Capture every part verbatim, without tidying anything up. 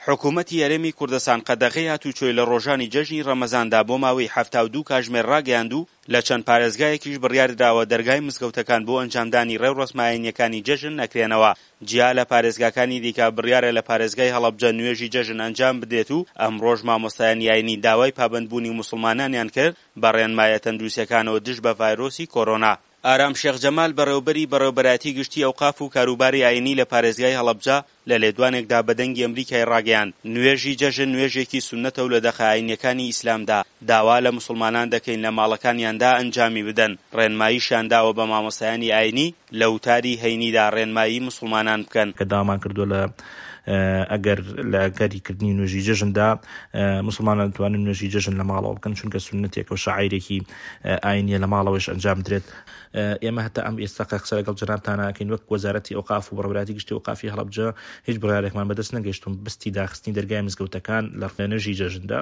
حکومەتی هەرێمی کوردستان قەدەغەی هاتوچۆی لە ڕۆژانی جەژنی ڕەمەزاندا بۆ ماوەی حەفتا و دوو کاژمێر ڕاگەیاند و لە چەند پارێزگایەکیش بڕیاردراوە دەرگای مزگەوتەکان بۆ ئەنجامدانی ڕێوڕەسمە ئاینییەکانی جەژن نەکرێنەوە. جیا لە پارێزگاکانی دیکە بڕیارە لە پارێزگای هەڵەبجە نوێژی جەژن ئەنجام بدرێت و ئەمڕۆش مامۆستایانی ئاینی داوای پابەندبوونی موسڵمانانیان کرد بە ڕێنمایە تەندروستییەکانەوە دژ بە ڤایرۆسی کۆرۆنا. ئارام شێخ جەمال، بەڕێوبەری بەڕێوبەرایەتی گشتی ئەوقاف و کاروباری ئاینی لە پارێزگای هەڵەبجە لە لێدوانێکدا بە دەنگی ئەمریکای ڕاگەیاند، نوێژی جەژن نوێژێکی سوننەتە و لە دەقە ئاینییەکانی ئیسلامدا داوا لە موسڵمانان دەکەین لە ماڵەکانیاندا ئەنجامی بدەن، ڕێنماییشیان داوە بە مامۆستایانی ئاینی لە وتاری هەینیدا ڕێنمایی موسڵمانان بکەن. کە داوامان کردووە لە ئەگەر لە ئەگەری کردنی نوێژی جەژندا موسڵمانان دەتوانن نوێژی جەژن لە ماڵەوە بکەن، چونکە سوننەتێکە و شەعایرێکی ئاینیە لە ماڵەوەش ئەنجام بدرێت. ئێمە هەتا ئەم ئێستا کە قسە لەگەڵ جەنابتان ئەکەین وەک وەزارەتی ئەوقاف و بەڕێوەبەرایەتی گشتی ئەوقافی هەڵەبجە هیچ بڕیارێکمان بەدەست نەگەیشتوون بستی داخستنی دەرگای مزگەوتەکان لە نوێژی جەژندا.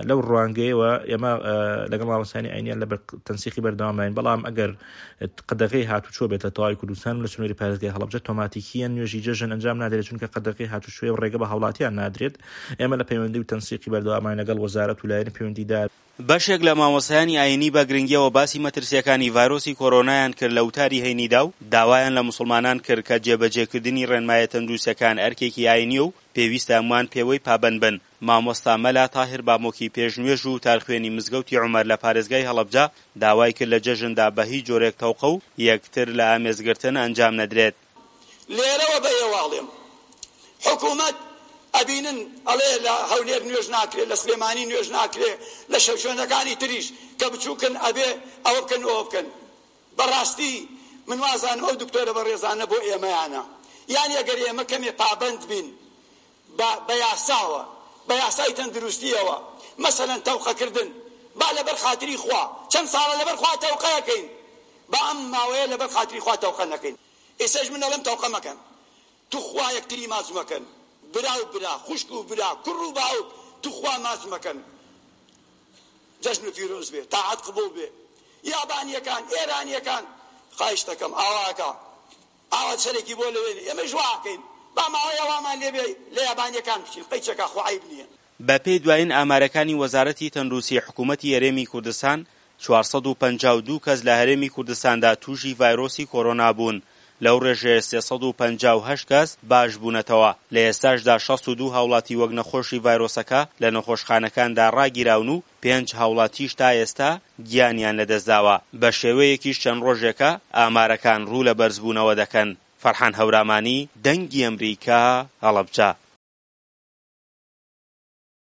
لەو ڕوانگەیەوە ئێمە لەگەڵ مامۆستایانی ئاینیان لە تەنسیقی بەردەوامین، بەڵام ئەگەر قەدەغەی هاتوچۆ بێت لە تەواوی کوردستان و لە سنووری پارێزگای هەڵەبجە تۆماتیکیە نوێژی جەژن ئەنجام نادرێت، چونکە قەدەغەی هاتوچۆی و ڕێگە بە هاوڵاتیان نادرێت. ئێمە لە پەیوەندی و تەنسیقی بەردەوامان لەگەڵ وەزارەت و لایەنی پەیوەندیدار. بەشێک لە مامۆستایانی ئاینی بە گرنگیەوە باسی مەترسیەکانی ڤایرۆسی کۆرۆنایان کرد لە وتاری هەینیدا و داوایان لە موسڵمانان کرد کە جێبەجێکردنی ڕێنمایە تەندروستیەکان ئەرکێکی ئاینیە و پێویستە هەمووان پێوەی پابەند بن. مامۆستا مەلا تاهیر بامۆکی پێشنوێژ و وتارخوێنی مزگەوتی عومەر لە پارێزگای هەڵەبجە داوای کرد لە جەژندا بە هیچ جۆرێک تەوقە و یەکتر لە ئامێزگرتن ئەنجام نەدرێت. لێرەوە بە ئێوە ئەڵێم حکومەت ئەبینن ئەڵێ لە هەولێر نوێژ ناکرێ، لە سلێمانی نوێژ ناکرێ، لە شوێنەکانی تریش کە بچوکن ئەبێ ئەوە بکەن و ئەوە بکەن. بەڕاستی من وازانم ئەو دکتۆرە بەڕێزانە بۆ ئێمەیانە، یانی ئەگەر ئێمە کەمێ پابەند بین بە بە یاساوە، بە یاسای تەندروستیەوە، مەسەلەن تەوقەکردن با لەبەر خاتری خوا، چەند ساڵە لەبەر خوا تەوقە ئەکەین، با ئەم ماوەیە لەبەر خاتری خوا تەوقە نەکەین. ئێستاش من ئەڵێم تەوقە مەکەن، توخوا یەکتری ماچ مەکەن، برا و برا، خوشک و برا، کوڕ و باوک، توخوا ماچ مەکەن. جەژن پیرۆز بێ، تاعەت قبوڵ بێ. یابانیەکان، ئێرانیەکان، خواهش دەکەم ئاوا ئەکا، ئاوا سەرێکی بۆ لەوێ نێ، ئێمەش وا ئەکەین، با ماوەیە وامان لێ بێ لە یابانیەکان بچین، قەیچەکا خۆ عەیب نییە. بەپێی دوایین ئامارەکانی وەزارەتی تەندروستی حکوومەتی هەرێمی کوردستان، چوار سەد و پەنجا و دوو کەس لە هەرێمی کوردستاندا تووشی ڤایرۆسی کۆرۆنا بوون، لەو ڕێژەیە سێ سەد و پەنجا و هەشت کەس باش بوونەتەوە، لە ئێستاشدا شەست و دوو هاوڵاتی وەک نەخۆشی ڤایرۆسەکە لە نەخۆشخانەکاندا ڕاگیراون و پێنج هاوڵاتیش تا ئێستا گیانیان لەدەستداوە، بەشێوەیەکیش چەند ڕۆژێکە ئامارەکان ڕوو لە بەرزبوونەوە دەکەن. فەرحان هەورامانی، دەنگی ئەمریکا، هەڵەبجە.